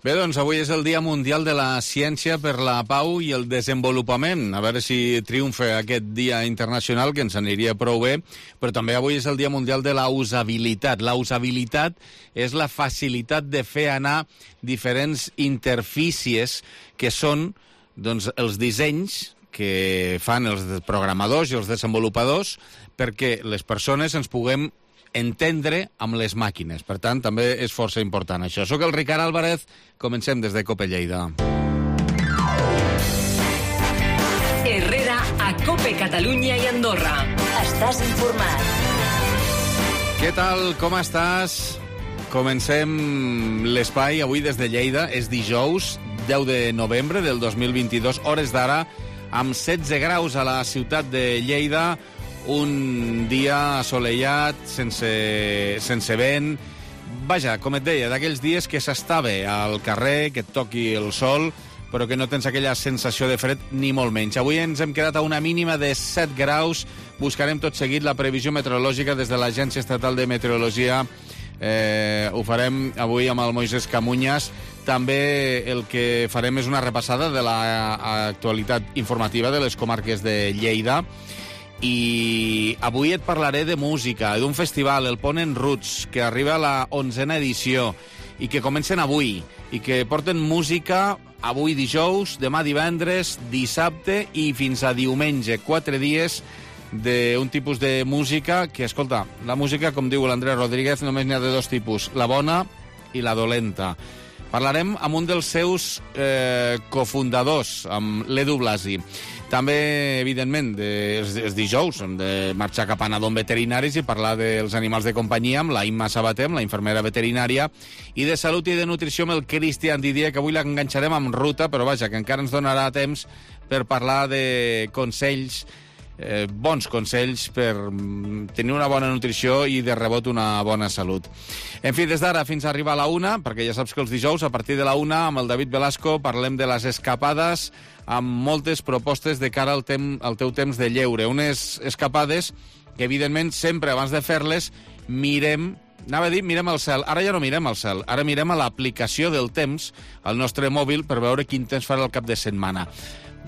Bé, doncs avui és el Dia Mundial de la Ciència per la Pau i el Desenvolupament. A veure si triomfa aquest dia internacional, que ens aniria prou bé. Però també avui és el Dia Mundial de la Usabilitat. La usabilitat és la facilitat de fer anar diferents interfícies que són doncs, els dissenys que fan els programadors i els desenvolupadors perquè les persones ens puguem entendre amb les màquines. Per tant, també és força important això. Soc el Ricard Álvarez, comencem des de COPE Lleida. Herrera a COPE Catalunya i Andorra. Estàs informat. Què tal? Com estàs? Comencem l'espai avui des de Lleida. És dijous, 10 de novembre del 2022, hores d'ara, amb 16 graus a la ciutat de Lleida. Un dia assolellat, sense vent. Vaja, com et deia, d'aquells dies que s'està bé al carrer, que et toqui el sol, però que no tens aquella sensació de fred ni molt menys. Avui ens hem quedat a una mínima de 7 graus. Buscarem tot seguit la previsió meteorològica des de l'Agència Estatal de Meteorologia. Ho farem avui amb el Moisés Camuñas. També el que farem és una repassada de l'actualitat informativa de les comarques de Lleida. I avui et parlaré de música, d'un festival, el Pont en Roots, que arriba a la 11a edició i que comencen avui, i que porten música avui dijous, demà divendres, dissabte i fins a diumenge. 4 dies d'un tipus de música que, escolta, la música, com diu l'Andrés Rodríguez, només n'hi ha de 2 tipus, la bona i la dolenta. Parlarem amb un dels seus cofundadors, amb l'Edu Blasi. També, evidentment, els dijous hem de marxar cap a Nadon Veterinaris i parlar dels animals de companyia amb la Imma Sabater, amb la infermera veterinària, i de salut i de nutrició amb el Cristian Didier, que avui l'enganxarem amb ruta, però vaja, que encara ens donarà temps per parlar de consells, bons consells per tenir una bona nutrició i de rebot una bona salut. En fi, des d'ara fins a arribar a la 1, perquè ja saps que els dijous, a partir de la 1, amb el David Velasco, parlem de les escapades amb moltes propostes de cara al teu temps de lleure. Unes escapades que, evidentment, sempre abans de fer-les mirem al cel. Ara ja no mirem al cel, ara mirem a l'aplicació del temps al nostre mòbil per veure quin temps farà el cap de setmana.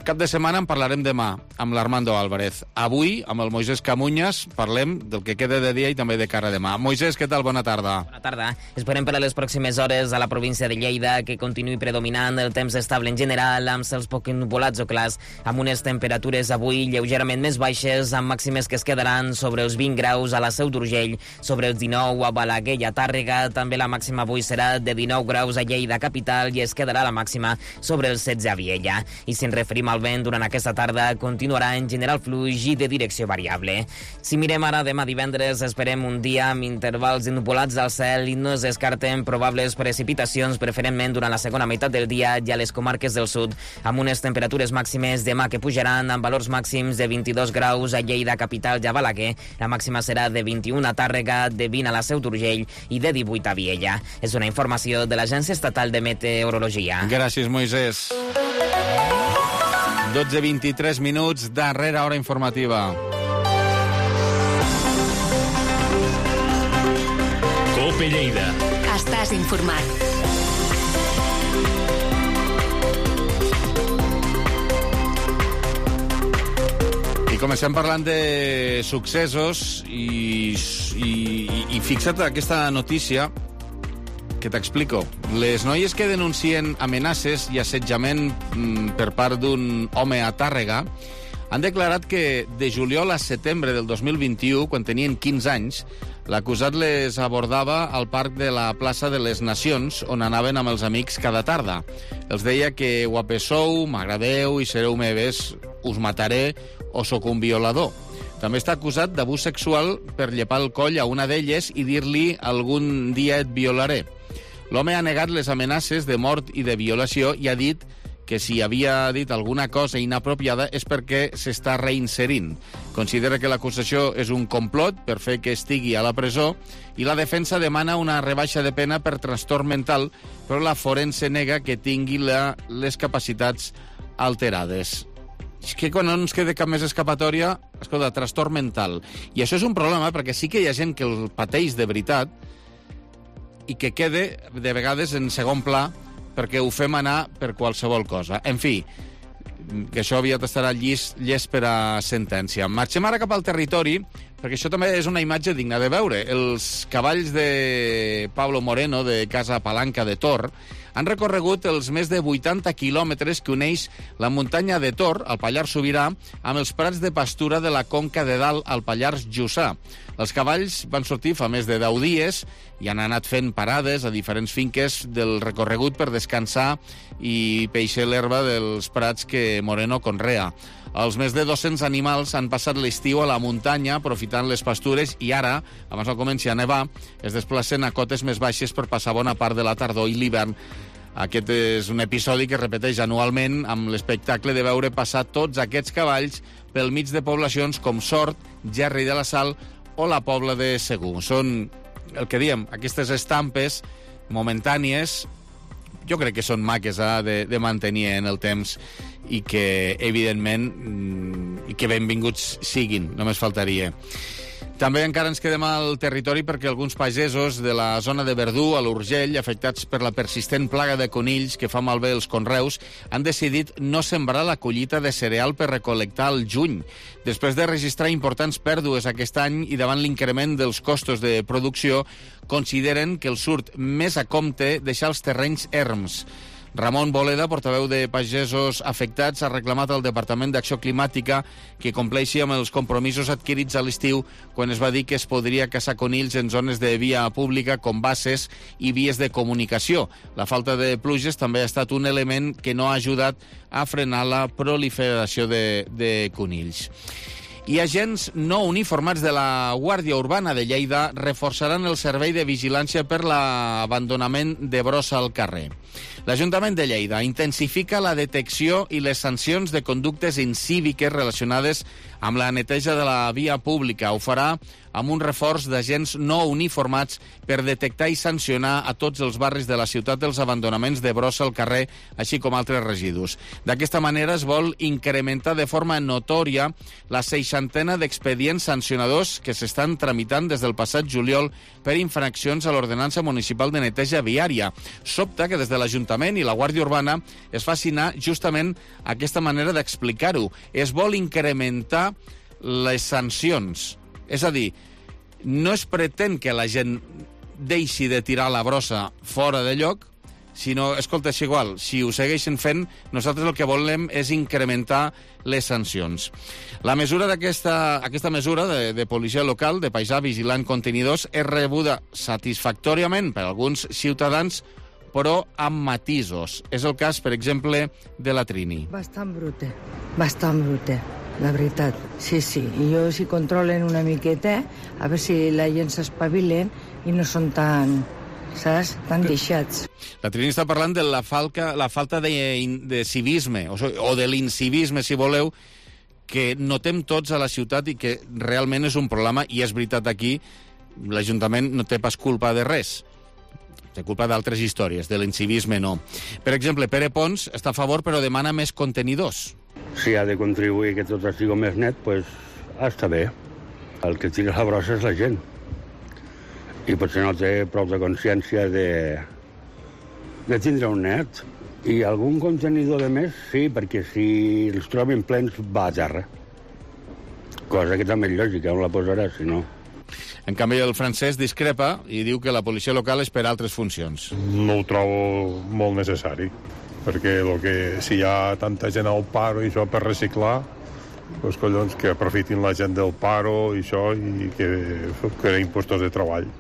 Cap de setmana en parlarem demà amb l'Armando Álvarez. Avui, amb el Moisés Camuñas, parlem del que queda de dia i també de cara a demà. Moisés, què tal? Bona tarda. Bona tarda. Esperem per a les pròximes hores a la província de Lleida que continuï predominant el temps estable en general, amb cels poc nuvolats o clars, amb unes temperatures avui lleugerament més baixes, amb màximes que es quedaran sobre els 20 graus a la Seu d'Urgell, sobre els 19 a Balaguer i a Tàrrega. També la màxima avui serà de 19 graus a Lleida capital i es quedarà la màxima sobre els 16 a Viella. I si ens referim al vent, durant aquesta tarda continuarà en general fluix i de direcció variable. Si mirem ara demà divendres, esperem un dia amb intervals nuvolats al cel i no es descarten probables precipitacions, preferentment durant la segona meitat del dia i a les comarques del sud, amb unes temperatures màximes demà que pujaran amb valors màxims de 22 graus a Lleida capital i a Balaguer. La màxima serà de 21 a Tàrrega, de 20 a la Seu d'Urgell i de 18 a Viella. És una informació de l'Agència Estatal de Meteorologia. Gràcies, Moisés. 12:23 minuts, darrera hora informativa. COPE Lleida. Estàs informat. I comencem parlant de successos i fixa't aquesta notícia que t'explico. Les noies que denuncien amenaces i assetjament per part d'un home a Tàrrega han declarat que de juliol a setembre del 2021, quan tenien 15 anys, l'acusat les abordava al parc de la plaça de les Nacions, on anaven amb els amics cada tarda. Els deia que guapes sou, m'agradeu i sereu meves, us mataré o sóc un violador. També està acusat d'abús sexual per llepar el coll a una d'elles i dir-li algun dia et violaré. L'home ha negat les amenaces de mort i de violació i ha dit que si havia dit alguna cosa inapropiada és perquè s'està reinserint. Considera que l'acusació és un complot per fer que estigui a la presó i la defensa demana una rebaixa de pena per trastorn mental, però la forense nega que tingui les capacitats alterades. És que quan no ens queda cap més escapatòria, escolta, trastorn mental. I això és un problema perquè sí que hi ha gent que el pateix de veritat i que quede de vegades en segon pla perquè ho fem anar per qualsevol cosa. En fi, que això aviat estarà llest per a sentència. Marxem ara cap al territori, perquè això també és una imatge digna de veure. Els cavalls de Pablo Moreno, de Casa Palanca de Tor, han recorregut els més de 80 quilòmetres que uneix la muntanya de Tor, al Pallars Sobirà, amb els prats de pastura de la Conca de Dalt, al Pallars Jussà. Els cavalls van sortir fa més de 10 dies i han anat fent parades a diferents finques del recorregut per descansar i peixer l'herba dels prats que Moreno conrea. Els més de 200 animals han passat l'estiu a la muntanya aprofitant les pastures i ara, abans no comenci a nevar, es desplacen a cotes més baixes per passar bona part de la tardor i l'hivern. Aquest és un episodi que es repeteix anualment amb l'espectacle de veure passar tots aquests cavalls pel mig de poblacions com Sort, Gerri de la Sal o la Pobla de Segur. Són, el que diem, aquestes estampes momentànies, jo crec que són maques de mantenir en el temps i que, evidentment, i que benvinguts siguin, només faltaria. També encara ens quedem al territori perquè alguns pagesos de la zona de Verdú, a l'Urgell, afectats per la persistent plaga de conills que fa malbé els conreus, han decidit no sembrar la collita de cereal per recol·lectar al juny. Després de registrar importants pèrdues aquest any i davant l'increment dels costos de producció, consideren que els surt més a compte deixar els terrenys erms. Ramon Boleda, portaveu de pagesos afectats, ha reclamat al Departament d'Acció Climàtica que compleixi amb els compromisos adquirits a l'estiu quan es va dir que es podria caçar conills en zones de via pública com basses i vies de comunicació. La falta de pluges també ha estat un element que no ha ajudat a frenar la proliferació de conills. I agents no uniformats de la Guàrdia Urbana de Lleida reforçaran el servei de vigilància per l'abandonament de brossa al carrer. L'Ajuntament de Lleida intensifica la detecció i les sancions de conductes incíviques relacionades amb la neteja de la via pública. Ho farà amb un reforç d'agents no uniformats per detectar i sancionar a tots els barris de la ciutat els abandonaments de brossa al carrer, així com altres residus. D'aquesta manera es vol incrementar de forma notòria la 60ena d'expedients sancionadors que s'estan tramitant des del passat juliol per infraccions a l'ordenança municipal de neteja viària. Sobta que des de l'Ajuntament i la Guàrdia Urbana es faci anar justament aquesta manera d'explicar-ho. Es vol incrementar les sancions. És a dir, no es pretén que la gent deixi de tirar la brossa fora de lloc, sinó, escolta, és igual, si ho segueixen fent, nosaltres el que volem és incrementar les sancions. La mesura aquesta mesura de policia local, de paisà vigilant contenidors, és rebuda satisfactòriament per alguns ciutadans, però amb matisos. És el cas, per exemple, de la Trini. Bastant brute, la veritat. Sí. I jo si controlen una miqueta, a veure si la gent s'espavilen i no són tan, saps, tan deixats. La Trini està parlant de la falta de civisme, o de l'incivisme, si voleu, que notem tots a la ciutat i que realment és un problema, i és veritat aquí, l'Ajuntament no té pas culpa de res. Té culpa d'altres històries, de l'incivisme no. Per exemple, Pere Pons està a favor però demana més contenidors. Si ha de contribuir que tot estigui més net, doncs està bé. El que tira la brossa és la gent. I potser no té prou de consciència de tindre un net. I algun contenidor de més, sí, perquè si els trobin plens va a terra. Cosa que també és lògica, on la posarà, si no. En canvi, el francès discrepa i diu que la policia local és per altres funcions. No ho trobo molt necessari, perquè si hi ha tanta gent al paro i això per reciclar, doncs collons, que aprofitin la gent del paro i això, i que creen puestos de treball.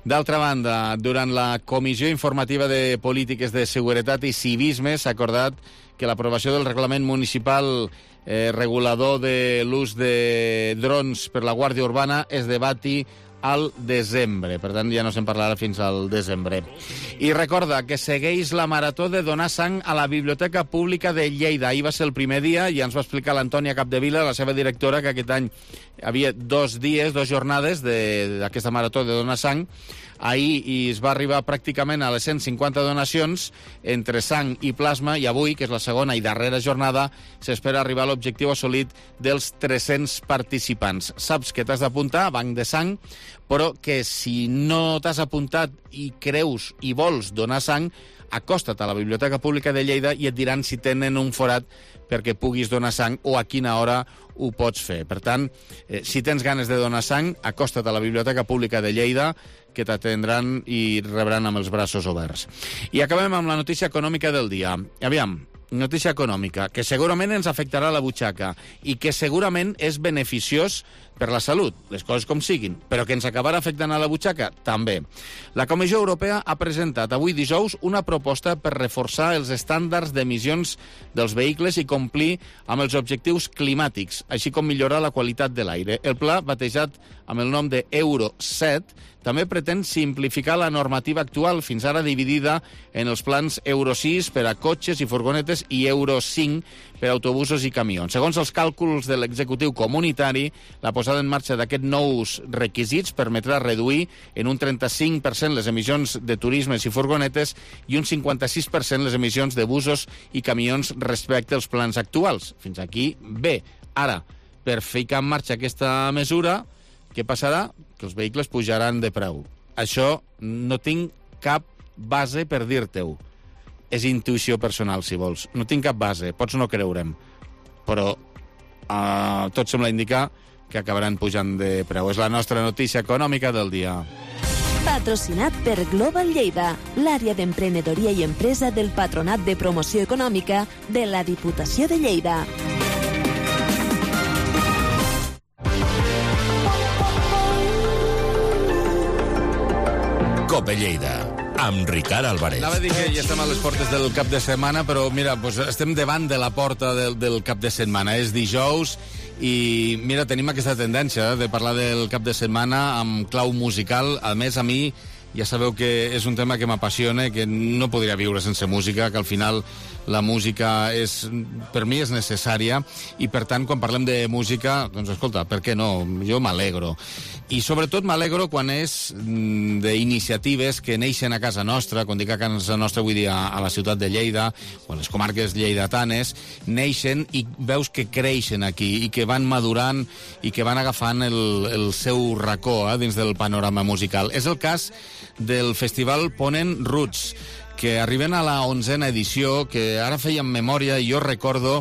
D'altra banda, durant la Comissió Informativa de Polítiques de Seguretat i Civisme s'ha acordat que l'aprovació del reglament municipal regulador de l'ús de drons per la Guàrdia Urbana es debati al desembre. Per tant, ja no se'n parlarà fins al desembre. I recorda que segueix la marató de donar sang a la Biblioteca Pública de Lleida. Ahir va ser el primer dia i ens va explicar l'Antònia Capdevila, la seva directora, que aquest any hi havia 2 jornades d'aquesta marató de donar sang. Ahir es va arribar pràcticament a les 150 donacions entre sang i plasma, i avui, que és la segona i darrera jornada, s'espera arribar a l'objectiu assolit dels 300 participants. Saps que t'has d'apuntar a Banc de Sang, però que si no t'has apuntat i creus i vols donar sang, acosta't a la Biblioteca Pública de Lleida i et diran si tenen un forat perquè puguis donar sang o a quina hora ho pots fer. Per tant, si tens ganes de donar sang, acosta't a la Biblioteca Pública de Lleida, que t'atendran i rebran amb els braços oberts. I acabem amb la notícia econòmica del dia. Aviam, notícia econòmica, que segurament ens afectarà la butxaca i que segurament és beneficiós per la salut, les coses com siguin, però que ens acabarà afectant a la butxaca, també. La Comissió Europea ha presentat avui dijous una proposta per reforçar els estàndards d'emissions dels vehicles i complir amb els objectius climàtics, així com millorar la qualitat de l'aire. El pla, batejat amb el nom de Euro 7, també pretén simplificar la normativa actual, fins ara dividida en els plans Euro 6 per a cotxes i furgonetes i Euro 5 per a autobusos i camions. Segons els càlculs de l'executiu comunitari, la posada en marxa d'aquests nous requisits permetrà reduir en un 35% les emissions de turismes i furgonetes i un 56% les emissions de busos i camions respecte als plans actuals. Fins aquí, bé. Ara, per ficar en marxa aquesta mesura, què passarà? Que els vehicles pujaran de preu. Això no tinc cap base per dir-te-ho. És intuïció personal, si vols. No tinc cap base, pots no creure'm. Però tot sembla indicar que acabaran pujant de preu. És la nostra notícia econòmica del dia. Patrocinat per Global Lleida, l'àrea d'emprenedoria i empresa del Patronat de Promoció Econòmica de la Diputació de Lleida. Cope Lleida, amb Ricard Álvarez. Anava a dir que ja estem a les portes del cap de setmana, però mira, doncs estem davant de la porta del cap de setmana. És dijous i mira, tenim aquesta tendència de parlar del cap de setmana amb clau musical. A més, a mi ja sabeu que és un tema que m'apassiona, que no podria viure sense música, que al final la música per mi és necessària i per tant quan parlem de música, doncs escolta, per què no? Jo m'alegro. I sobretot m'alegro quan és d'iniciatives que neixen a casa nostra, quan dic a casa nostra vull dir a la ciutat de Lleida o a les comarques lleidatanes, neixen i veus que creixen aquí i que van madurant i que van agafant el seu racó dins del panorama musical. És el cas del festival Ponent Roots, que arriben a la 11a edició, que ara fèiem memòria i jo recordo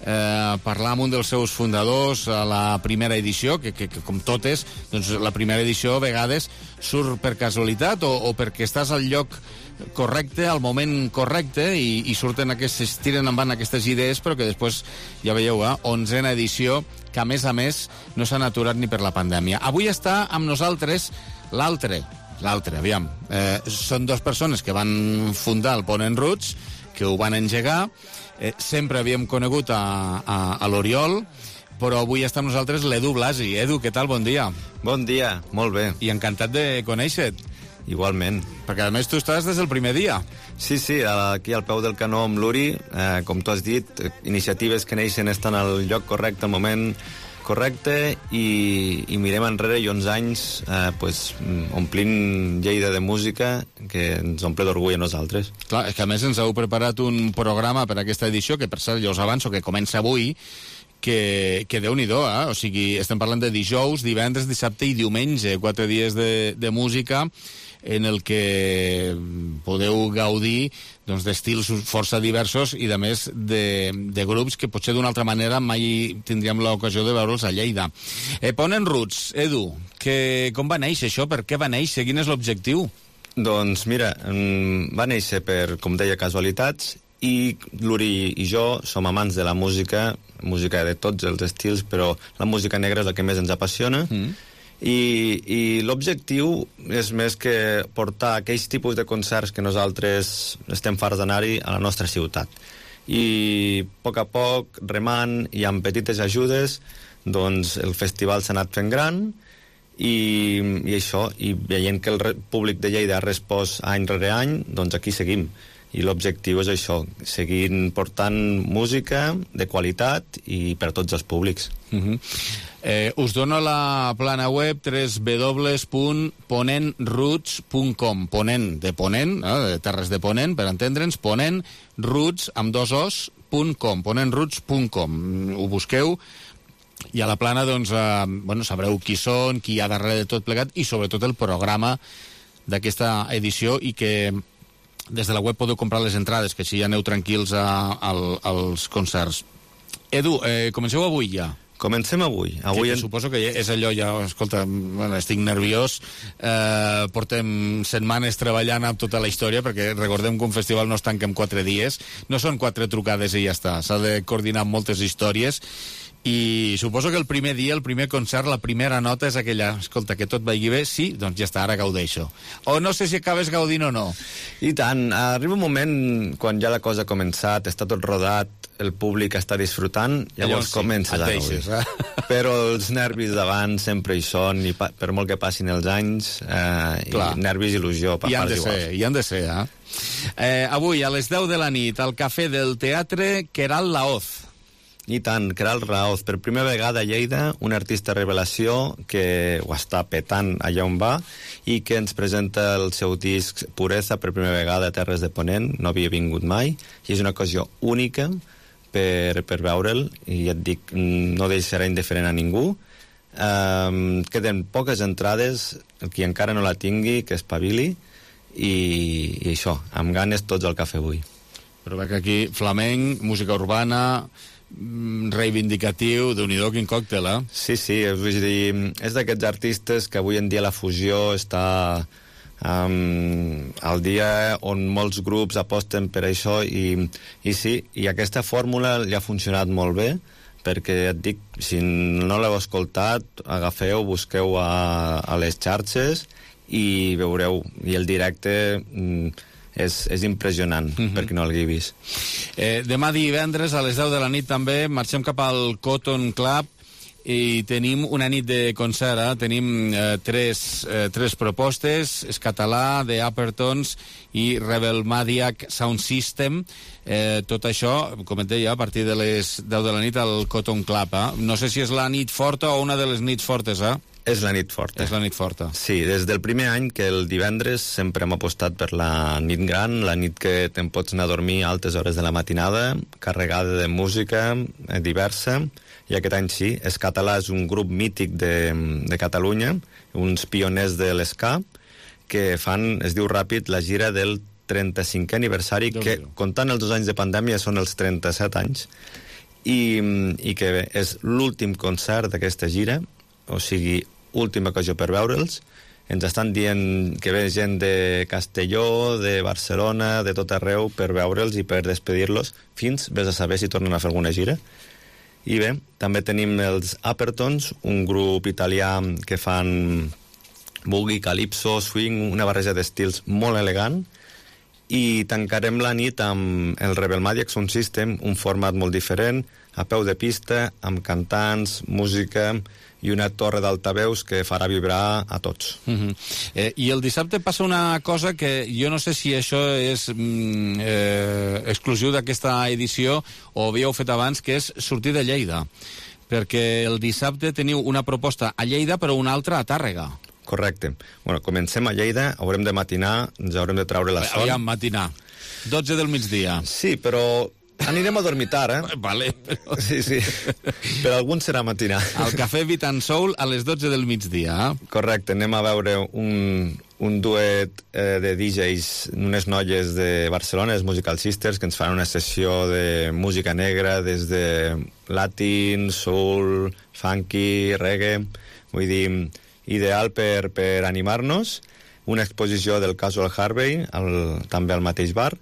parlar amb un dels seus fundadors a la primera edició, que com totes, doncs la primera edició a vegades surt per casualitat o perquè estàs al lloc correcte, al moment correcte, i surten aquestes, tiren endavant aquestes idees, però que després, ja veieu, 11a edició, que a més no s'han aturat ni per la pandèmia. Avui està amb nosaltres l'altre, aviam. Són dues persones que van fundar el Ponent Roots, que ho van engegar. Sempre havíem conegut a l'Oriol, però avui està amb nosaltres l'Edu Blasi. Edu, què tal? Bon dia. Bon dia, molt bé. I encantat de conèixer-te. Igualment. Perquè a més tu estàs des del primer dia. Sí, aquí al peu del canó amb l'Uri, com tu has dit, iniciatives que neixen estan al lloc correcte, al moment correcte, i mirem enrere i 11 anys omplint Lleida de música que ens omple d'orgull a nosaltres. Clar, és que a més ens heu preparat un programa per a aquesta edició, que per cert ja us avanço que comença avui, que Déu-n'hi-do, o sigui, estem parlant de dijous, divendres, dissabte i diumenge, 4 dies de música en el que podeu gaudir d'estils força diversos i, a més, de grups que potser d'una altra manera mai tindríem l'ocasió de veure'ls a Lleida. Ponent Roots, Edu, com va néixer això? Per què va néixer? Quin és l'objectiu? Doncs mira, va néixer per, com deia, casualitats, i l'Uri i jo som amants de la música de tots els estils, però la música negra és la que més ens apassiona, i l'objectiu és més que portar aquells tipus de concerts que nosaltres estem farts d'anar-hi a la nostra ciutat. I a poc, remant i amb petites ajudes, doncs el festival s'ha anat fent gran, i això, i veient que el públic de Lleida ha respost any rere any, doncs aquí seguim. I l'objectiu és això, seguir portant música de qualitat i per a tots els públics. Us dono la plana web www.ponentroots.com. Ponent de Ponent, de Terres de Ponent, per entendre'ns, ponentroots amb 2 os.com, ponentroots.com. Ho busqueu i a la plana doncs, sabreu qui són, qui hi ha darrere de tot plegat i sobretot el programa d'aquesta edició, i que des de la web podeu comprar les entrades, que així ja aneu tranquils als concerts. Edu, comenceu avui ja. Comencem avui. Suposo que és allò ja, escolta, bueno, estic nerviós, portem setmanes treballant amb tota la història, perquè recordem que un festival no es tanca en 4 dies, no són 4 trucades i ja està, s'ha de coordinar moltes històries, i suposo que el primer dia, el primer concert, la primera nota és aquella, escolta, que tot vagi bé, sí, doncs ja està, ara gaudeixo. O no sé si acabes gaudint o no. I tant, arriba un moment quan ja la cosa ha començat, està tot rodat, el públic està disfrutant, llavors sí, comences a gaudir. Però els nervis davant sempre hi són, i per molt que passin els anys, i nervis i il·lusió per parts iguals. Hi han de ser, avui, a les 10 de la nit, al Cafè del Teatre Queralt Laoz. I tant, Queralt Laoz, per primera vegada a Lleida, un artista revelació que ho està petant allà on va i que ens presenta el seu disc Pureza per primera vegada a Terres de Ponent, no havia vingut mai, i és una ocasió única per veure'l, i ja et dic, no deixarà indiferent a ningú. Queden poques entrades, el qui encara no la tingui, que espavili, i això, amb ganes tots al cafè avui. Però veig aquí flamenc, música urbana, reivindicatiu, Déu-n'hi-do, quin còctel, Sí, vull dir, és d'aquests artistes que avui en dia la fusió està al dia on molts grups aposten per això, i sí, i aquesta fórmula li ha funcionat molt bé, perquè et dic, si no l'heu escoltat, agafeu, busqueu a les xarxes i veureu, i el directe és impressionant, per qui no l'hagi vist. Demà divendres a les 10 de la nit també marxem cap al Cotton Club i tenim una nit de concert, tenim tres propostes, és català, The Uppertons i Rebel Madiac Sound System, tot això, com et deia, a partir de les 10 de la nit al Cotton Club. No sé si és la nit forta o una de les nits fortes, És la nit forta. És la nit forta. Sí, des del primer any que el divendres sempre hem apostat per la nit gran, la nit que te'n pots anar a dormir a altes hores de la matinada, carregada de música diversa, i aquest any sí, És Català és un grup mític de Catalunya, uns pioners de l'ska, que fan, es diu ràpid, la gira del 35è aniversari, que comptant els 2 anys de pandèmia són els 37 anys, i que és l'últim concert d'aquesta gira, o sigui, última ocasió per veure'ls. Ens estan dient que ve gent de Castelló, de Barcelona, de tot arreu, per veure'ls i per despedir-los, fins, vés a saber si tornen a fer alguna gira. I bé, també tenim els Uppertons, un grup italià que fan boogie, calypso, swing, una barreja d'estils molt elegant, i tancarem la nit amb el Rebel Madiac Sound System, un format molt diferent, a peu de pista, amb cantants, música i una torre d'altaveus que farà vibrar a tots. I el dissabte passa una cosa que jo no sé si això és exclusiu d'aquesta edició o havíeu fet abans, que és sortir de Lleida, perquè el dissabte teniu una proposta a Lleida però una altra a Tàrrega. Correcte. Bueno, comencem a Lleida, haurem de matinar, ens haurem de treure la son. Aviam, matinar. 12 del migdia. Sí, però anirem a dormir tard, Vale, però... Sí. Per alguns serà matinar. Al Cafè Beat and Soul a les 12 del migdia. Correcte, anem a veure un duet de DJs, unes noies de Barcelona, les Musical Sisters, que ens fan una sessió de música negra des de latin, soul, funky, reggae, vull dir, ideal per animar-nos. Una exposició del Casual Harvey, també al mateix bar.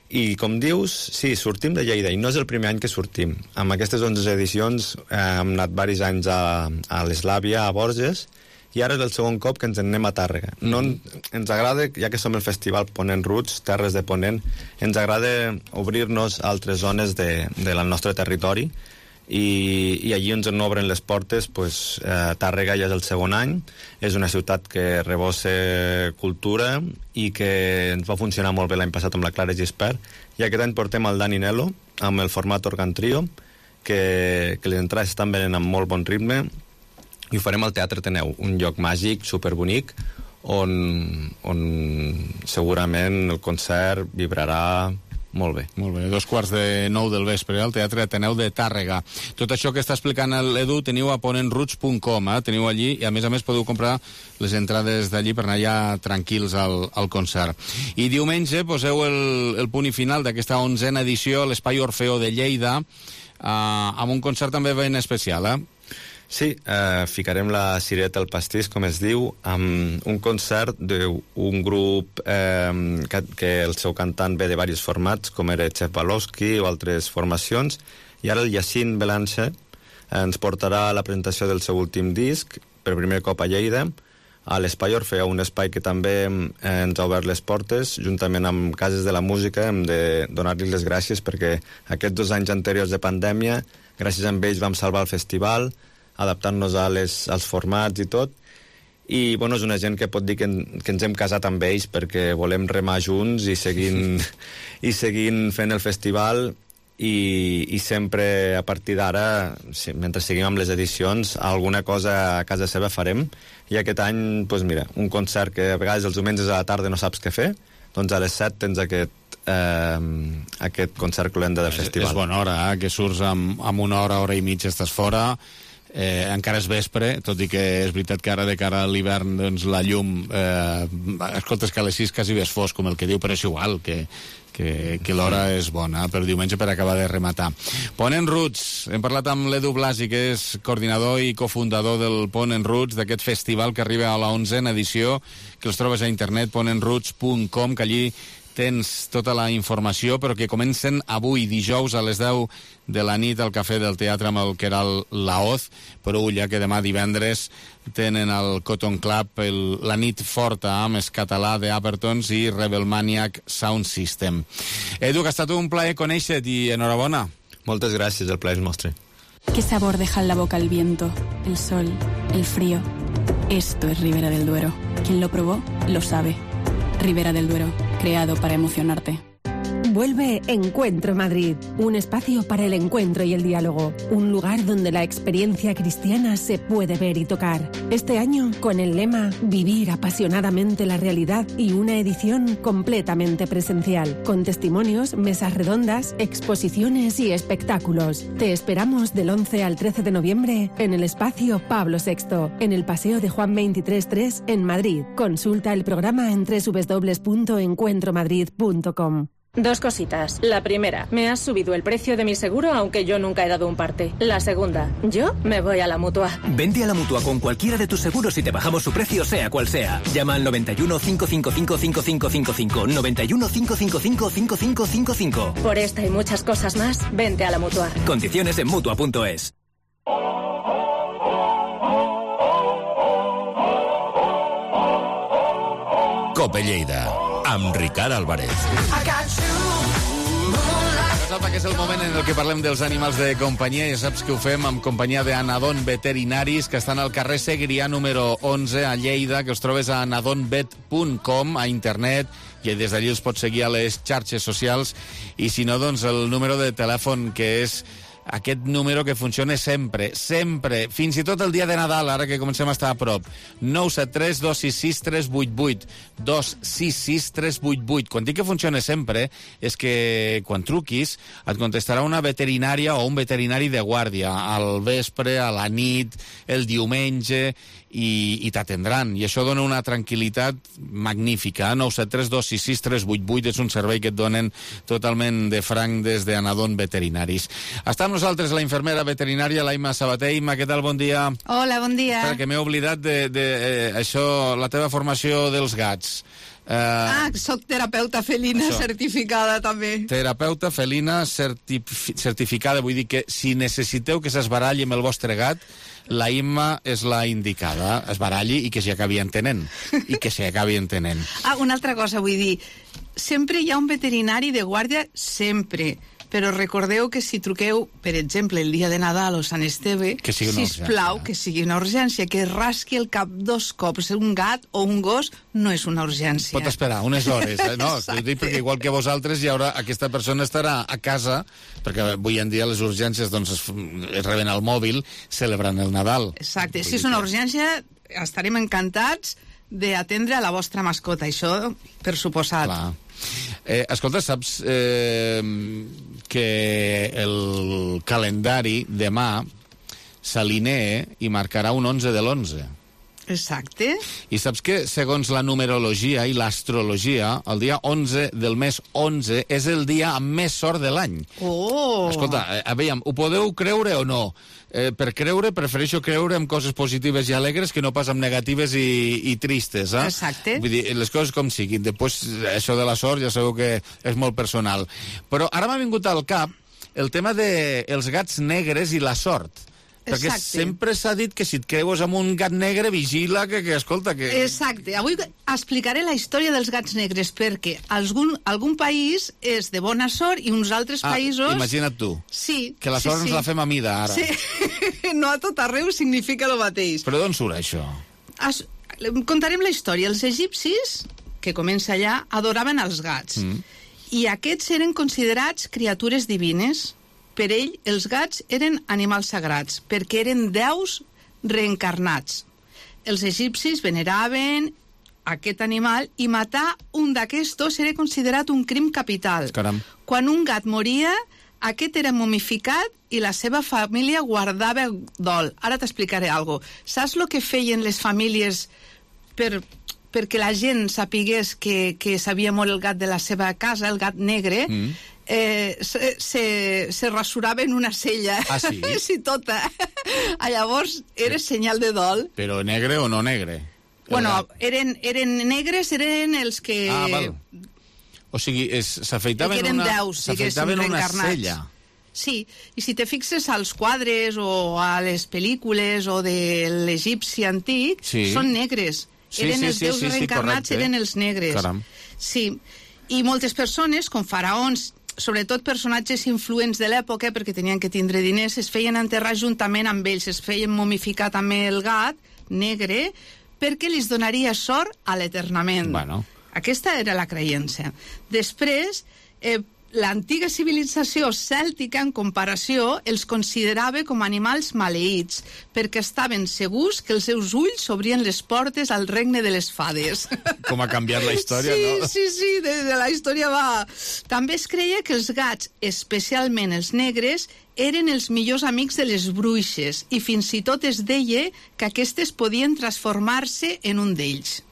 I, com dius, sí, sortim de Lleida, i no és el primer any que sortim. Amb aquestes 11 edicions hem anat diversos anys a l'Eslàvia, a Borges, i ara és el segon cop que ens en anem a Tàrrega. No, ens agrada, ja que som el festival Ponent Roots, Terres de Ponent, ens agrada obrir-nos a altres zones del nostre territori, i allí ens obren les portes. Tàrrega ja és el segon any, és una ciutat que rebossa cultura i que ens va funcionar molt bé l'any passat amb la Clara Gispert, i aquest any portem el Dani Nelo amb el format Organ Trio, que les entrades estan venent amb molt bon ritme, i ho farem al Teatre Ateneu, un lloc màgic, superbonic, on segurament el concert vibrarà Molt bé. Molt bé, 8:45 del vespre, al Teatre Ateneu de Tàrrega. Tot això que està explicant l'Edu teniu a ponentroots.com, teniu allí, i a més podeu comprar les entrades d'allí per anar ja tranquils al concert. I diumenge poseu el punt i final d'aquesta 11a edició a l'Espai Orfeó de Lleida, amb un concert també ben especial, Sí, ficarem la cireta al pastís, com es diu, amb un concert d'un grup que el seu cantant ve de diversos formats, com era Chef Balowski o altres formacions, i ara el Jacint Belanche ens portarà a la presentació del seu últim disc, per primer cop a Lleida, a l'Espai Orfeó, un espai que també ens ha obert les portes, juntament amb Cases de la Música. Hem de donar-li les gràcies perquè aquests 2 anys anteriors de pandèmia, gràcies a ells vam salvar el festival, adaptant-nos als formats i tot, i bueno, és una gent que pot dir que ens hem casat amb ells perquè volem remar junts i seguint fent el festival, i sempre a partir d'ara, mentre seguim amb les edicions, alguna cosa a casa seva farem, i aquest any, doncs mira, un concert que a vegades els diumenges a la tarda no saps què fer, doncs a les 7 tens aquest concert cloenda del festival. És bona hora, que surts amb una hora i mitja estàs fora, encara és vespre, tot i que és veritat que ara de cara a l'hivern doncs la llum escoltes que a les 6 quasi ves fosc, com el que diu, però és igual que l'hora és bona per diumenge per acabar de rematar. Ponent Roots, hem parlat amb l'Edu Blasi, que és coordinador i cofundador del Ponent Roots, d'aquest festival que arriba a la 11a edició, que els trobes a internet, ponentroots.com, que allí tens tota la informació, però que comencen avui, dijous, a les 10 de la nit al Cafè del Teatre amb el Queralt Laoz, però ja que demà divendres tenen el Cotton Club, la nit forta amb Escatalà de Apertons i Rebel Maniac Sound System. Edu, que ha estat un plaer conèixer-te i enhorabona. Moltes gràcies, el plaer és nostre. ¿Qué sabor deja en la boca el viento, el sol, el frío? Esto es Ribera del Duero. Quien lo probó, lo sabe. Ribera del Duero, creado para emocionarte. Vuelve Encuentro Madrid, un espacio para el encuentro y el diálogo, un lugar donde la experiencia cristiana se puede ver y tocar. Este año con el lema Vivir apasionadamente la realidad y una edición completamente presencial, con testimonios, mesas redondas, exposiciones y espectáculos. Te esperamos del 11 al 13 de noviembre en el espacio Pablo VI, en el Paseo de Juan 23.3 en Madrid. Consulta el programa en www.encuentromadrid.com. 2 cositas. La primera, me has subido el precio de mi seguro aunque yo nunca he dado un parte. La segunda, yo me voy a la Mutua. Vente a la Mutua con cualquiera de tus seguros y te bajamos su precio sea cual sea. Llama al 91 555 5555. 91 555 5555. Por esta y muchas cosas más, vente a la Mutua. Condiciones en Mutua.es. Cope Lleida, amb Ricard Álvarez. Que és el moment en el que parlem dels animals de companyia. Ja saps que ho fem amb companyia d'Anadon Veterinaris, que estan al carrer Segrià número 11 a Lleida, que els trobes a anadonvet.com a internet, i des d'allí els pots seguir a les xarxes socials, i si no, doncs el número de telèfon, que és aquest número que funciona sempre, fins i tot el dia de Nadal, ara que comencem a estar a prop. 973 266 388, 266 388. Quan dic que funciona sempre, és que quan truquis et contestarà una veterinària o un veterinari de guàrdia, al vespre, a la nit, el diumenge, i t'atendran, i això dona una tranquil·litat magnífica. 973 266 388 és un servei que et donen totalment de franc des d'Anadon Veterinaris. Està amb nosaltres la infermera veterinària Laima Sabater. Ima, què tal? Bon dia. Hola, bon dia. Perquè m'he oblidat això, la teva formació dels gats. Soc terapeuta felina certificada també. Terapeuta felina certificada, vull dir que si necessiteu que s'esbaralli amb el vostre gat, la Imma és la indicada. Es baralli i que s'hi acabi entenent. Una altra cosa vull dir. Sempre hi ha un veterinari de guàrdia, sempre. Però recordeu que si truqueu, per exemple, el dia de Nadal o Sant Esteve, sisplau, que sigui una urgència, que rasqui el cap 2 cops un gat o un gos no és una urgència. Pot esperar unes hores, no? T'ho dic perquè igual que vosaltres hi haurà, aquesta persona estarà a casa, perquè avui en dia les urgències doncs, es reben al mòbil celebrant el Nadal. Exacte, si és una urgència estarem encantats d'atendre a la vostra mascota, això per suposat. Clar. Escolta, saps que el calendari demà s'alinea i marcarà un 11 de l'11. Exacte. I saps que, segons la numerologia i l'astrologia, el dia 11 del mes 11 és el dia amb més sort de l'any. Oh! Escolta, veiem, ho podeu creure o no? Per creure, prefereixo creure en coses positives i alegres que no pas en negatives i tristes. Exacte. Vull dir, les coses com siguin. Després, això de la sort ja sabeu que és molt personal. Però ara m'ha vingut al cap el tema dels gats negres i la sort. Perquè sempre s'ha dit que si et creues amb un gat negre, vigila que escolta... que... Exacte. Avui explicaré la història dels gats negres, perquè algun país és de bona sort i uns altres països... Imagina't tu. Sí. Que la sort ens la fem a mida, ara. Sí. No a tot arreu significa el mateix. Però d'on surt això? Contarem la història. Els egipcis, que comença allà, adoraven els gats. I aquests eren considerats criatures divines. Per ell, els gats eren animals sagrats, perquè eren déus reencarnats. Els egipcis veneraven aquest animal i matar un d'aquestos era considerat un crim capital. Caram. Quan un gat moria, aquest era momificat i la seva família guardava dol. Ara t'explicaré alguna cosa. Saps el que feien les famílies perquè la gent sapigués que s'havia mort el gat de la seva casa, el gat negre? Se rasuraven una cella. Ah, sí? Sí, tota. Llavors era senyal de dol. Però negre o no negre? Bueno, eren negres, eren els que... Ah, val. O sigui, s'afeitaven una cella. Sí, i si te fixes als quadres o a les pel·lícules o de l'egipci antic, són negres. Eren els déus reencarnats, eren els negres. Caram. Sí, i moltes persones, com faraons, sobretot personatges influents de l'època, perquè tenien que tindre diners, es feien enterrar juntament amb ells, es feien momificar també el gat negre, perquè li donaria sort a l'eternament. Bueno. Aquesta era la creença. Després, l'antiga civilització cèltica, en comparació, els considerava com animals maleïts, perquè estaven segurs que els seus ulls obrien les portes al regne de les fades. Com ha canviat la història, no? Sí, de la història va... També es creia que els gats, especialment els negres, eren els millors amics de les bruixes, i fins i tot es deia que aquestes podien transformar-se en un d'ells.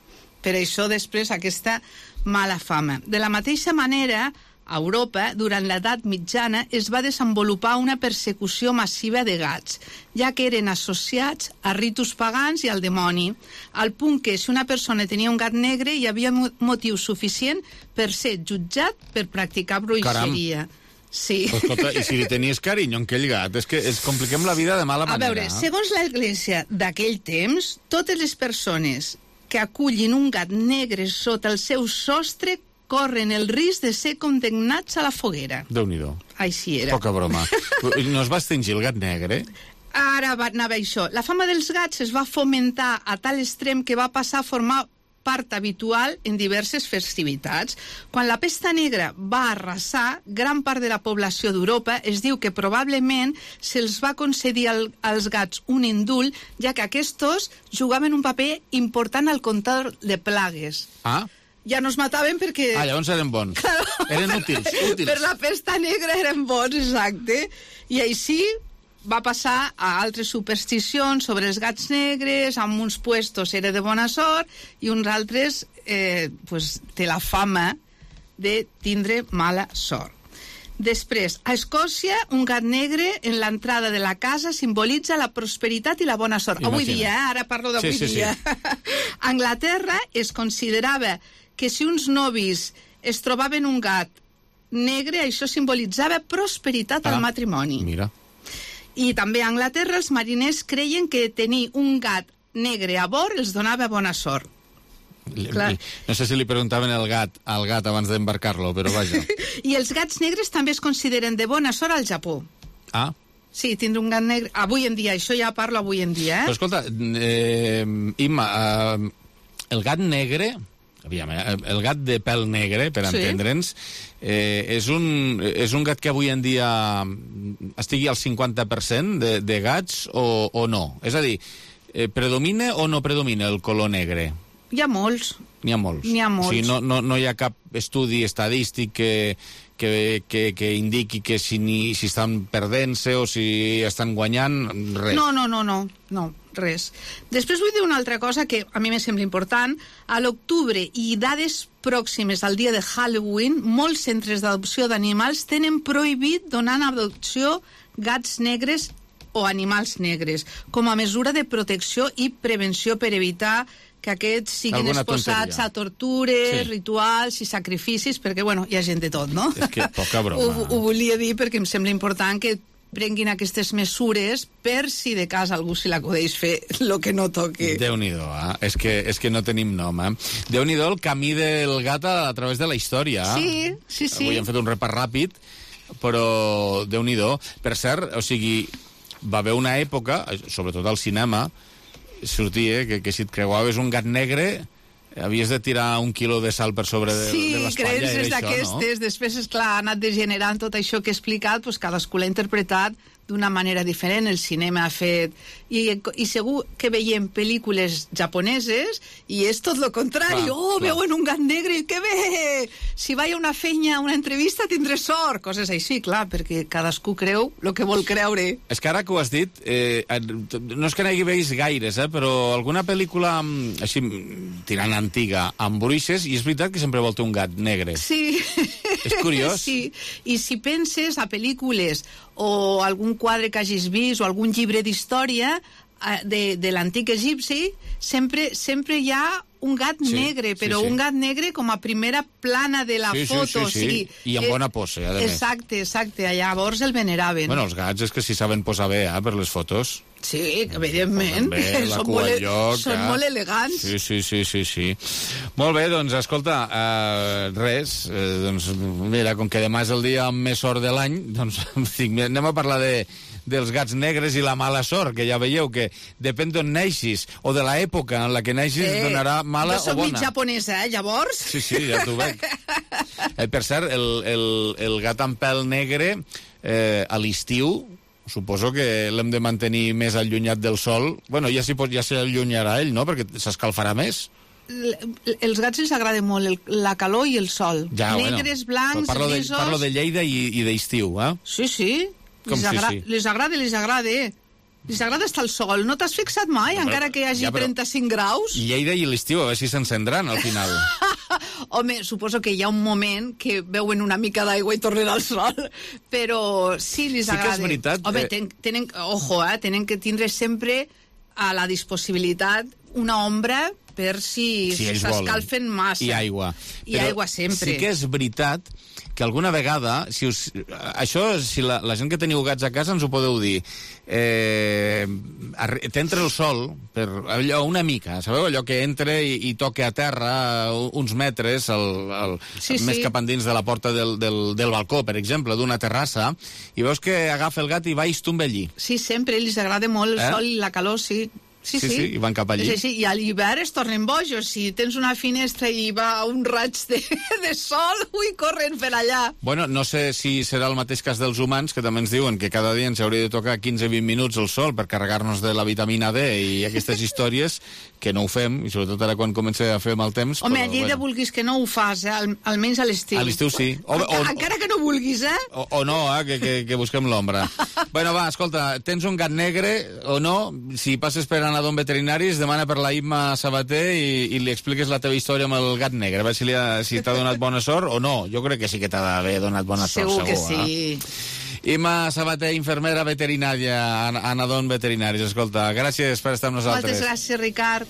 Per això, després, aquesta mala fama. De la mateixa manera, a Europa, durant l'edat mitjana, es va desenvolupar una persecució massiva de gats, ja que eren associats a ritus pagans i al dimoni, al punt que si una persona tenia un gat negre hi havia motiu suficient per ser jutjat per practicar bruixeria. Caram. Sí. Escolta, i si li tenies carinyo a aquell gat, és que ens compliquem la vida de mala manera. A veure, segons l'Església d'aquell temps, totes les persones que acullin un gat negre sota el seu sostre corren el risc de ser condemnats a la foguera. Déu-n'hi-do. Així era. Poca broma. No es va extingir el gat negre? Ara anava això. La fama dels gats es va fomentar a tal extrem que va passar a formar part habitual en diverses festivitats. Quan la pesta negra va arrasar gran part de la població d'Europa, es diu que probablement se'ls va concedir als gats un indult, ja que aquests jugaven un paper important al control de plagues. Ah? Ja no es mataven perquè... llavors eren bons. Claro. Eren útils. Per la pesta negra eren bons, exacte. I així va passar a altres supersticions sobre els gats negres, amb uns puestos era de bona sort i uns altres té la fama de tindre mala sort. Després, a Escòcia, un gat negre en l'entrada de la casa simbolitza la prosperitat i la bona sort. Imagina. Avui dia, ara parlo d'avui dia. A Anglaterra es considerava que si uns novis es trobaven un gat negre, això simbolitzava prosperitat al matrimoni. Mira. I també a Anglaterra els mariners creien que tenir un gat negre a bord els donava bona sort. No sé si li preguntaven al gat abans d'embarcar-lo, però vaja. I els gats negres també es consideren de bona sort al Japó. Ah. Sí, tindre un gat negre... Avui en dia, això ja parlo avui en dia, Però escolta, Imma, el gat negre... Aviam, el gat de pèl negre, per entendre'ns, és un gat que avui en dia estigui al 50% de gats o no? És a dir, predomina o no predomina el color negre? Hi ha molts. N'hi ha molts. O sigui, no hi ha cap estudi estadístic que indiqui que si estan perdent-se o si estan guanyant, res. No, res. Després vull dir una altra cosa que a mi me sembla important. A l'octubre i dades pròximes al dia de Halloween, molts centres d'adopció d'animals tenen prohibit donar en adopció gats negres o animals negres, com a mesura de protecció i prevenció per evitar que aquests siguin exposats a tortures, rituals i sacrificis, perquè, bueno, hi ha gent de tot, no? És que poca broma. Ho volia dir perquè em sembla important que prenguin aquestes mesures per si de cas algú se l'acudeix fer el que no toqui. Déu-n'hi-do, És que no tenim nom, Déu-n'hi-do el camí del gat a través de la història. Sí. Avui hem fet un repàs ràpid, però Déu-n'hi-do. Per cert, o sigui, va haver una època, sobretot al cinema, sortia que si et creuaves un gat negre havies de tirar 1 quilo de sal per sobre de l'espatlla. Sí, creences d'aquestes. Després, esclar, ha anat degenerant tot això que he explicat, doncs cadascú l'ha interpretat d'una manera diferent. El cinema ha fet... I segur que veiem pel·lícules japoneses i és tot el contrari. Veuen un gat negre i que bé! Si vaig a una feina, a una entrevista, tindré sort. Coses així, clar, perquè cadascú creu el que vol creure. És que ara que ho has dit, no és que n'hagi vist gaires, però alguna pel·lícula així tirant antiga amb bruixes, i és veritat que sempre vol ter un gat negre. Sí. És curiós. Sí, i si penses a pel·lícules o algun quadre que hagis vist o algun llibre d'història de l'antic egipci, sempre hi ha un gat negre, però un gat negre com a primera plana de la foto. Sí. I amb bona pose, a més. Exacte. Llavors el veneraven. Bueno, els gats és que si saben posar bé, per les fotos. Sí, evidentment. Són molt elegants. Sí. Molt bé, doncs, escolta, res, doncs, mira, com que demà és el dia amb més sort de l'any, doncs, anem a parlar dels gats negres i la mala sort, que ja veieu que depèn d'on neixis o de l'època en la que neixis donarà mala o bona. Jo soc mig japonesa, llavors. Sí, ja t'ho veig. Per cert, el gat amb pèl negre a l'estiu suposo que l'hem de mantenir més allunyat del sol. Bueno, ja s'allunyarà ell, no?, perquè s'escalfarà més. Els gats els agrada molt la calor i el sol. Negres, blancs, grisos... Parlo de Lleida i d'estiu, Sí. Les agrada. Les agrada estar al sol. No t'has fixat mai, encara que hi hagi 35 graus? Lleida i l'estiu, a veure si s'encendran al final. Home, suposo que hi ha un moment que veuen una mica d'aigua i tornen al sol, però sí, les agrada. Sí que és veritat. Home, tenen que tindre sempre a la disponibilitat una ombra per si s'escalfen massa. I aigua. I aigua sempre. Sí que és veritat que alguna vegada, si la gent que teniu gats a casa ens ho podeu dir, t'entra el sol per allò una mica, sabeu? Allò que entra i toca a terra uns metres més cap endins de la porta del balcó, per exemple, d'una terrassa, i veus que agafa el gat i va i es tomba allí. Sí, sempre, els agrada molt el sol i la calor, sí. Sí, i van cap allí. Sí, i a l'hivern es tornen bojos. Si tens una finestra i va un raig de sol, corren per allà. Bueno, no sé si serà el mateix cas dels humans, que també ens diuen que cada dia ens hauria de tocar 15-20 minuts el sol per carregar-nos de la vitamina D i aquestes històries, que no ho fem, i sobretot ara quan comença a fer mal temps... Home, a Lleida vulguis que no ho fas, almenys a l'estiu. A l'estiu sí. Encara que no vulguis, O no, que busquem l'ombra. Bueno, va, escolta, tens un gat negre o no? Si passes per anar d'un veterinari, es demana per la Imma Sabater i li expliques la teva història amb el gat negre, a veure si t'ha donat bona sort o no. Jo crec que sí que t'ha d'haver donat bona sort, segur. Segur que sí. Imma Sabater, infermera veterinària a Nadon Veterinaris. Escolta, gràcies per estar amb nosaltres. Moltes gràcies, Ricard.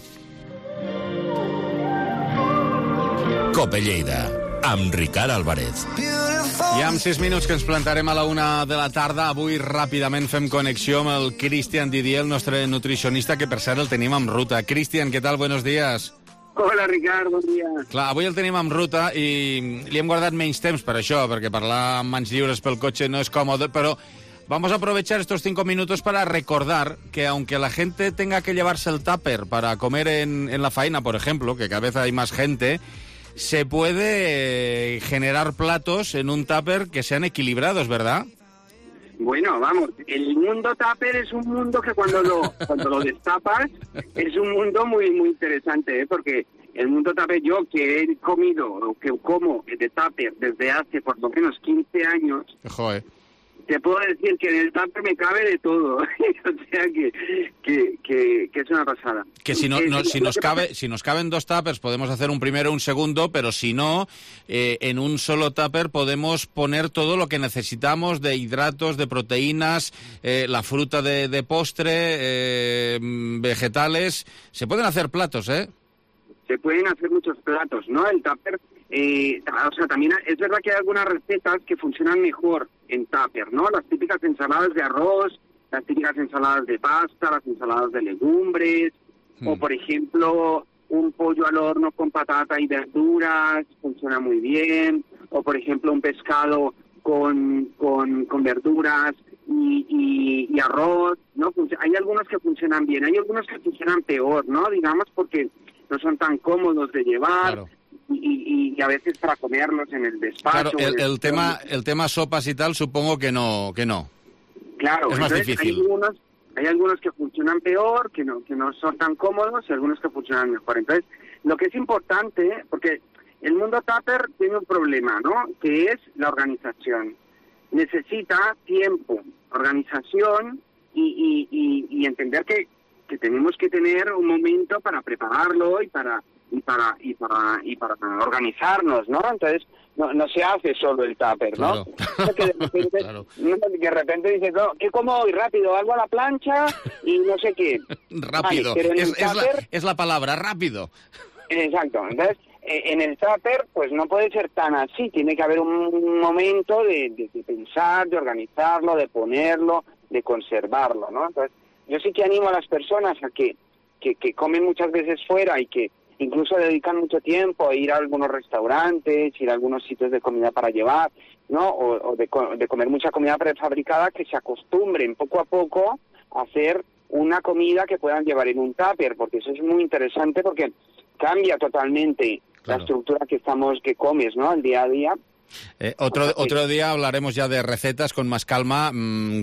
Cope Lleida, amb Ricard Álvarez. I amb 6 minuts que ens plantarem a la 1 de la tarda, avui ràpidament fem connexió amb el Cristian Didier, el nostre nutricionista, que per cert el tenim en ruta. Cristian, què tal? Buenos días. Hola, Ricard, bon dia. Clar, avui el tenim en ruta i li hem guardat menys temps per això, perquè parlar amb mans lliures pel cotxe no es còmode, però vamos a aprovechar estos 5 minutos para recordar que aunque la gente tenga que llevarse el tupper para comer en la faena, por ejemplo, que cada vez hay más gente, se puede generar platos en un tupper que sean equilibrados, ¿verdad? Bueno, vamos, el mundo tupper es un mundo que cuando lo destapas es un mundo muy muy interesante, porque el mundo tupper, yo que he comido o que como de tupper desde hace por lo menos 15 años, Joder. te puedo decir que en el tupper me cabe de todo. O sea que es una pasada. Que si nos caben 2 tuppers podemos hacer un primero, un segundo, pero si no, en un solo tupper podemos poner todo lo que necesitamos de hidratos, de proteínas, la fruta de postre, vegetales. Se pueden hacer platos, ¿eh? Se pueden hacer muchos platos, ¿no? El tupper, o sea, también es verdad que hay algunas recetas que funcionan mejor en tupper, ¿no? Las típicas ensaladas de arroz, las típicas ensaladas de pasta, las ensaladas de legumbres, o por ejemplo, un pollo al horno con patata y verduras, funciona muy bien, o por ejemplo, un pescado con verduras y arroz, ¿no? Hay algunos que funcionan bien, hay algunos que funcionan peor, ¿no? Digamos, porque no son tan cómodos de llevar. Claro. Y a veces para comerlos en el despacho. Claro, el tema sopas y tal, supongo que no. Claro, es más difícil. Hay algunos que funcionan peor, que no son tan cómodos, y algunos que funcionan mejor. Entonces, lo que es importante, porque el mundo tupper tiene un problema, ¿no? Que es la organización. Necesita tiempo, organización y entender que tenemos que tener un momento para prepararlo y para organizarnos, ¿no? Entonces, no se hace solo el tupper, ¿no? Claro. Que de repente dices, no, ¿qué como hoy? Rápido, algo a la plancha y no sé qué. Rápido, vale, pero es la palabra, rápido. Exacto, entonces, en el tupper, pues no puede ser tan así, tiene que haber un momento de pensar, de organizarlo, de ponerlo, de conservarlo, ¿no? Entonces, yo sí que animo a las personas a que comen muchas veces fuera y que incluso dedican mucho tiempo a ir a algunos restaurantes, ir a algunos sitios de comida para llevar, ¿no? O de comer mucha comida prefabricada, que se acostumbren poco a poco a hacer una comida que puedan llevar en un tupper, porque eso es muy interesante porque cambia totalmente la estructura que comes, ¿no? El día a día. Otro día hablaremos ya de recetas con más calma,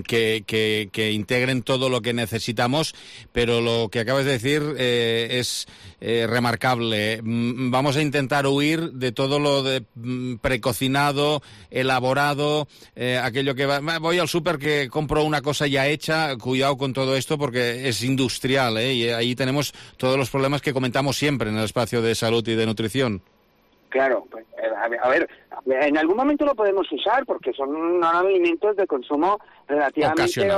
que integren todo lo que necesitamos, pero lo que acabas de decir es remarcable. Vamos a intentar huir de todo lo de precocinado, elaborado, aquello que voy al súper que compro una cosa ya hecha. Cuidado con todo esto porque es industrial, y ahí tenemos todos los problemas que comentamos siempre en el espacio de salud y de nutrición. Claro, pues, a ver, en algún momento lo podemos usar porque son alimentos de consumo relativamente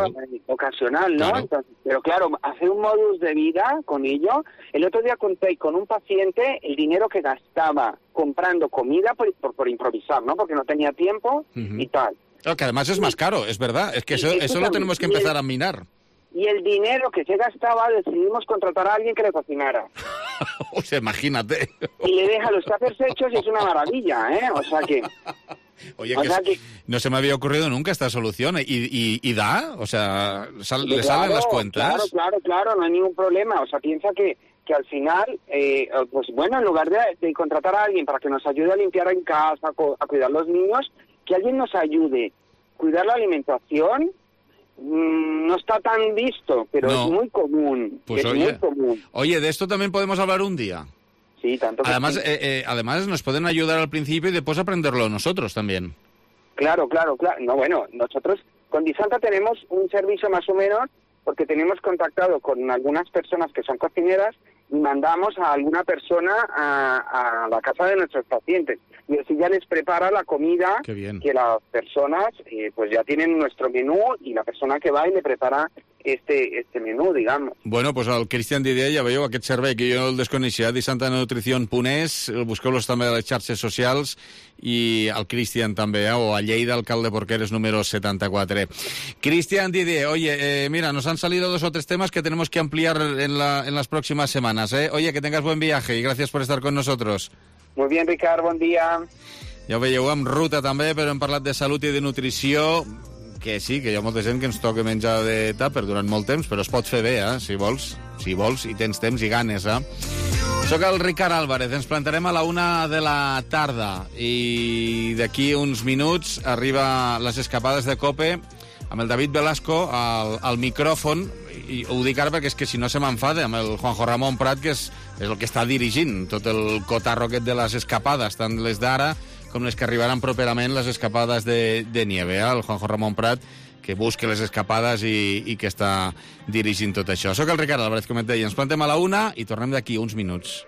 ocasional, ¿no? Claro. Entonces, pero claro, hacer un modus de vida con ello. El otro día conté con un paciente el dinero que gastaba comprando comida por improvisar, ¿no? Porque no tenía tiempo y tal. Claro, que además es más caro, es verdad. Es que eso lo tenemos que empezar a minar. Y el dinero que se gastaba decidimos contratar a alguien que le cocinara. O sea, imagínate. Y le deja los tuppers hechos y es una maravilla, ¿eh? O sea que... Oye, no se me había ocurrido nunca esta solución. ¿Y da? O sea, ¿le salen las cuentas? Claro, no hay ningún problema. O sea, piensa que al final, pues bueno, en lugar de contratar a alguien para que nos ayude a limpiar en casa, a cuidar los niños, que alguien nos ayude a cuidar la alimentación. No está tan visto, pero es muy común. Pues muy común. Oye, de esto también podemos hablar un día. Sí, tanto que además, sí. Además nos pueden ayudar al principio y después aprenderlo nosotros también. Claro. No, bueno, nosotros con Disanta tenemos un servicio más o menos, porque tenemos contactado con algunas personas que son cocineras y mandamos a alguna persona a la casa de nuestros pacientes. Y así ya les prepara la comida que las personas pues ya tienen nuestro menú y la persona que va y le prepara este menú, digamos. Bueno, pues al Cristian Didier ja veieu aquest servei que jo el desconeixia, disantanotrición.es, busqueu-los també a les xarxes socials i al Cristian també, o a Lleida, alcalde Porqueres número 74. Cristian Didier, oye, mira, nos han salido 2 o 3 temas que tenemos que ampliar en las próximas semanas, ¿eh? Oye, que tengas buen viaje y gracias por estar con nosotros. Muy bien, Ricard, bon dia. Ja ho veieu, amb ruta també, però hem parlat de salut i de nutrició, que sí, que hi ha molta gent que ens toca menjar de tàper durant molt temps, però es pot fer bé, si vols i tens temps i ganes, Soc el Ricard Álvarez, ens plantarem a la 1 de la tarda i d'aquí uns minuts arriba les escapades de COPE amb el David Velasco al micròfon i ho dic ara perquè és que si no se m'enfada amb el Juanjo Ramón Prat, que és el que està dirigint tot el cotarro aquest de les escapades, tant les d'ara com les que arribaran properament, les escapades de nieve. El Juanjo Ramón Prat, que busca les escapades i que està dirigint tot això. Soc el Ricard Álvarez, com et deia. Ens plantem a la 1 i tornem d'aquí uns minuts.